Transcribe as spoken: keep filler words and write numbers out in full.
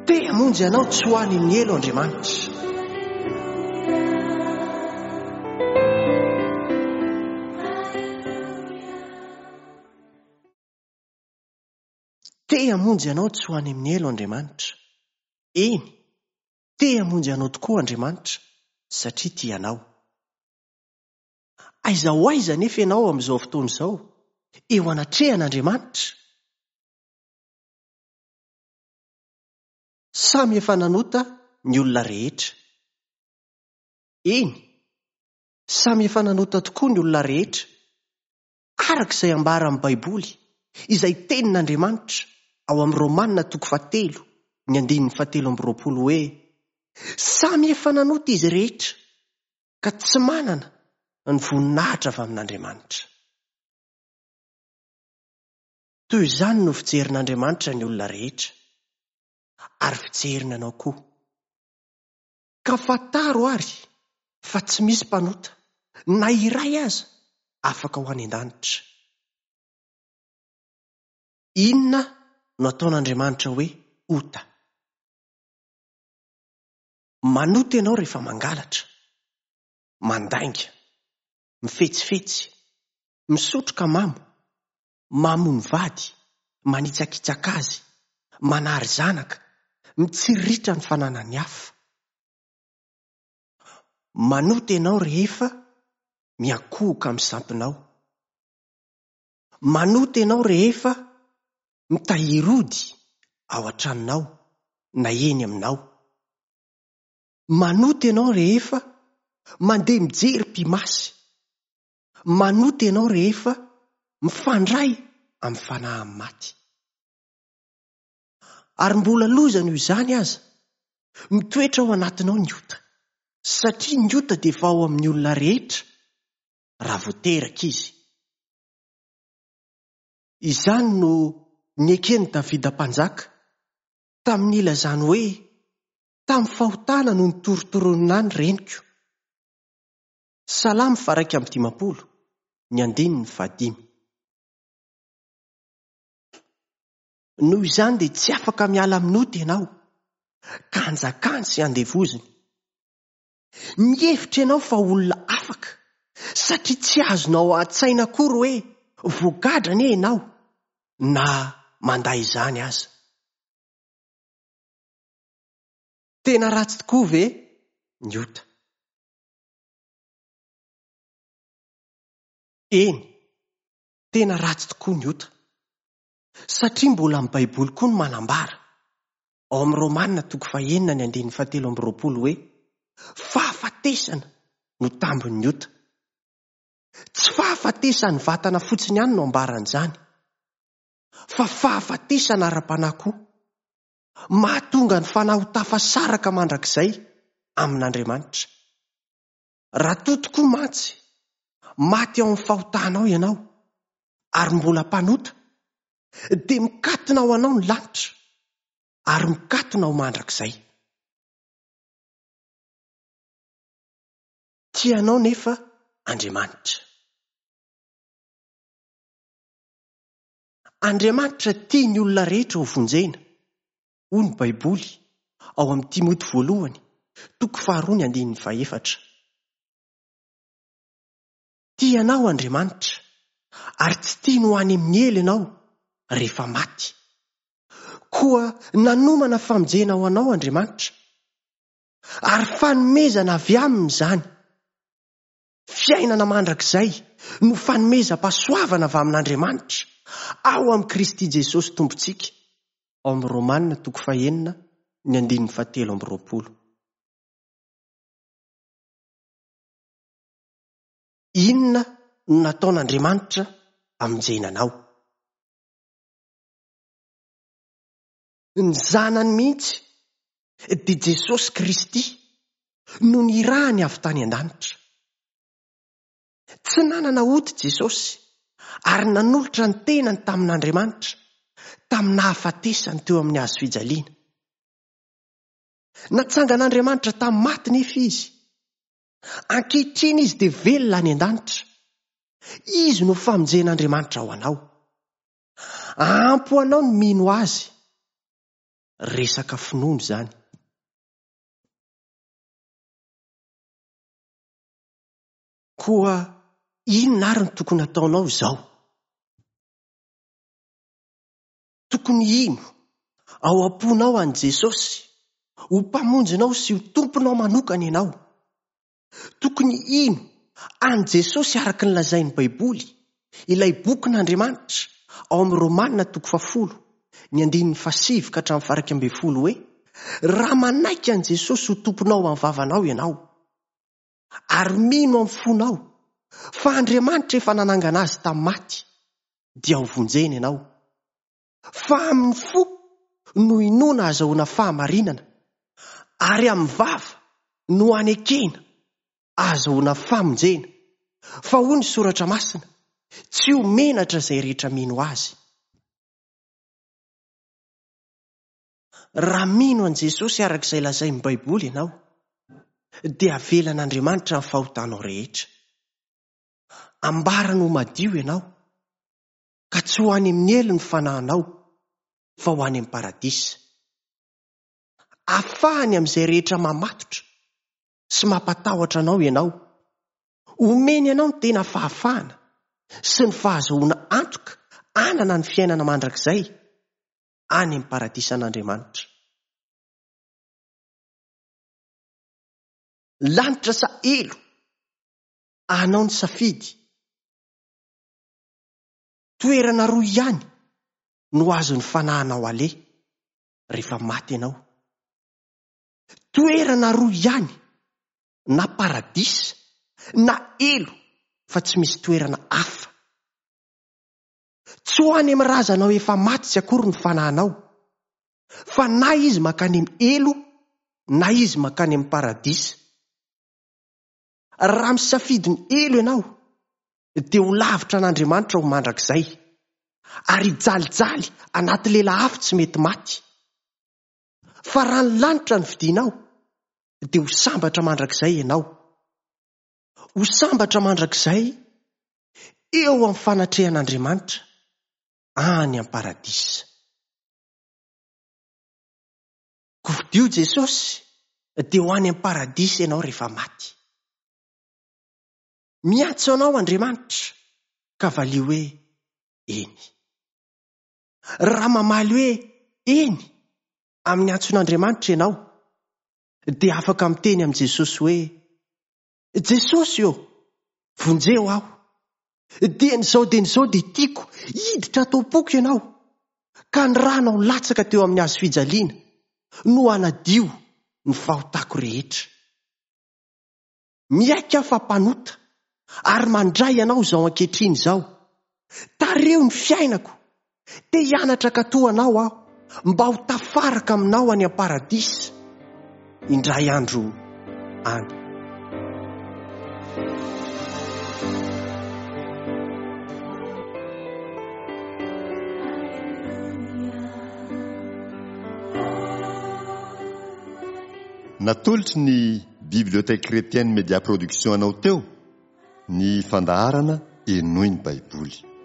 Te hamonjy anao tsy ho any amin'ny helo Andriamanitra. Te hamonjy anao tsy ho any amin'ny helo Andriamanitra. Eny, te hamonjy anao tokoa Andriamanitra satria tia anao. Aiza ho aiza nefa ianao amin'izao fotoana izao, eo anatrehan'Andriamanitra? Samy efa nanota ny olona rehetra. Eny, samy efa nanota tokoa ny olona rehetra, araka izay ambara amin'ny Baiboly, izay tenin'Andriamanitra ao amin'ny Romanina toko fahatelo, ny andininy fahatelo amby roapolo hoe: samy efa nanota izy rehetra, ka tsy manana ny voninahitra avy amin'Andriamanitra. Toy izany no fijerin'Andriamanitra ny olona rehetra, ary fijeriny anao koa. Ka fantaro ary fa tsy misy mpanota na iray aza afaka ho any an-danitra. Inona no ataon'Andriamanitra hoe ota? Manota ianao rehefa mangalatra, mandainga, mifetsifetsy, misotro ka mamo, mamono vady, manitsakitsaka azy, manary zanaka, mitsiriritra ny fananany hafa. Manota ianao rehefa miankohoka amin'ny sampinao. Manota ianao rehefa mitahiry ody ao an-tranonao na eny aminao. Manota ianao rehefa mandeha mijery mpimasy. Manota ianao rehefa mifandray amin'ny fanahin'ny maty. Ary mbola loza noho izany aza, mitoetra ao anatinao ny ota, satria ny ota dia efa ao amin'ny olona rehetra raha vao teraka izy. Izany no neken'i Davida mpanjaka tamin'ny nilazany hoe: tamin'ny fahotana no nitorotoronina ny reniko. Salamo faha-iraika amby dimampolo, ny andininy fahadimy. Noho izany dia tsy afaka miala amin'ny ota ianao, ka anjakany sy andevoziny. Mihevitra ianao fa olona afaka, satria tsy azonao an-tsaina akory hoe voagadra anie ianao, na mandà izany aza. Tena ratsy tokoa ve ny ota? Eny, tena ratsy tokoa ny ota. Satria mbola amin'ny Baiboly koa no manambara, ao amin'ny Romanina toko fahenina ny andininy fahatelo amby roapolo hoe: fahafatesana no tambin'ny ota. Tsy fahafatesan'ny vatana fotsiny ihany no ambaran'izany, fa fahafatesana ara-panahy koa. Mahatonga ny fanahy ho tafasaraka mandrakizay amin'Andriamanitra. Raha toa tokoa mantsy maty ao amin'ny fahotanao ianao ary mbola mpanota, dia mikatona ho anao ny lanitra ary mikatona ho mandrakizay. Tia anao nefa Andriamanitra. Andriamanitra tia ny olona rehetra ho vonjena, hoy ny Baiboly ao amin'ny Timoty voalohany, toko faharoa ny andininy fahefatra. Tia anao Andriamanitra ary tsy tiany ho any amin'ny helo ianao rehefa maty. Koa nanomana famonjena ho anao Andriamanitra, ary fanomezana avy aminy izany. Fiainana mandrakizay no fanomezam-pahasoavana avy amin'Andriamanitra ao amin'i Kristy Jesosy Tompontsika, ao amin'ny Romanina toko fahenina ny andininy fahatelo amby roapolo. Inona no nataon'Andriamanitra hamonjena anao? Ny zanany mihitsy dia Jesosy Kristy no nirahany avy tany an-danitra. Tsy nanana ota Jesosy ary nanolotra ny tenany tamin'Andriamanitra tamin'ny nahafatesany teo amin'ny hazo fijaliana. Natsangan'Andriamanitra tamin'ny maty nefa izy. Ankehitriny izy dia velona any an-danitra. Izy no famonjen'Andriamanitra ho anao. Ampy ho anao ny mino azy. Resaka finoana izany. Koa inona ary no tokony hataonao izao? Tokony hino ao am-ponao an'i Jesosy ho mpamonjinao sy ho tomponao manokana ianao. Tokony hino an'i Jesosy araka ny lazain'ny Baiboly, ilay bokin'Andriamanitra ao amin'ny Romana toko fahafolo, ny andininy fahasivy ka hatramin'ny faha-iraika ambin'ny folo hoe: raha manaiky an'i Jesosy ho tomponao amin'ny vavanao ianao, ary mino amin'ny fonao fa Andriamanitra efa nanangana azy tamin'ny maty, dia ho vonjena ianao. Fa amin'ny fo no inoana ahazoana fahamarinana, ary amin'ny vava no anekena ahazoana famonjena. Fa hoy ny soratra masina, tsy ho menatra izay rehetra mino azy. Raha mino an'i Jesosy araka izay lazain'ny Baiboly ianao, dia avelan'Andriamanitra ny fahotanao rehetra. Ambarany ho madio ianao, ka tsy ho any amin'ny helo ny fanahinao, fa ho any amin'ny paradisa. Afahany amin'izay rehetra mamatotra sy mampatahotra anao ianao. Omeny anao ny tena fahafahana sy ny fahazoana antoka hanana ny fiainana mandrakizay any amin'ny paradisan'Andriamanitra. Lanitra sa helo, anao ny safidy. Toerana roa ihany no azon'ny fanahinao aleha rehefa maty ianao. Toerana roa ihany, na paradisa na helo, fa tsy misy toerana hafa. Tsy ho any amin'ny razanao efa maty tsy akory ny fanahinao, fa na izy mankany amin'ny helo na izy mankany amin'ny paradisa. Raha misafidy ny helo ianao, dia ho lavitra an'Andriamanitra ho mandrakizay, ary hijalijaly anaty lela afo tsy mety maty. Fa raha ny lanitra no fidinao, dia ho sambatra mandrakizay ianao. Ho sambatra mandrakizay eo amin'ny fanatrehan'Andriamanitra any amin'ny paradisa. Kofidio Jesosy, dia ho any amin'ny paradisa ianao rehefa maty. Miantso anao Andriamanitra, ka valio hoe eny. Raha mamaly hoe eny amin'ny antson'Andriamanitra ianao, dia afaka miteny amin'i Jesosy hoe: Jesosy ô, vonjeo aho. Dieny izao dieny izao dia tiako hiditra ato am-poko ianao, ka ny ranao latsaka teo amin'ny hazo fijaliana no hanadio ny fahotako rehetra. Miaiky aho fa mpanota ary mandray anao izao ankehitriny izao. Tareho ny fiainako. Te hianatra hankatò anao aho mba ho tafaraka aminao any am-paradisa indray andro any. Natolotry ny Bibliothèque Chrétienne Média Production anao teo ny fandaharana Henoy ny Baiboly.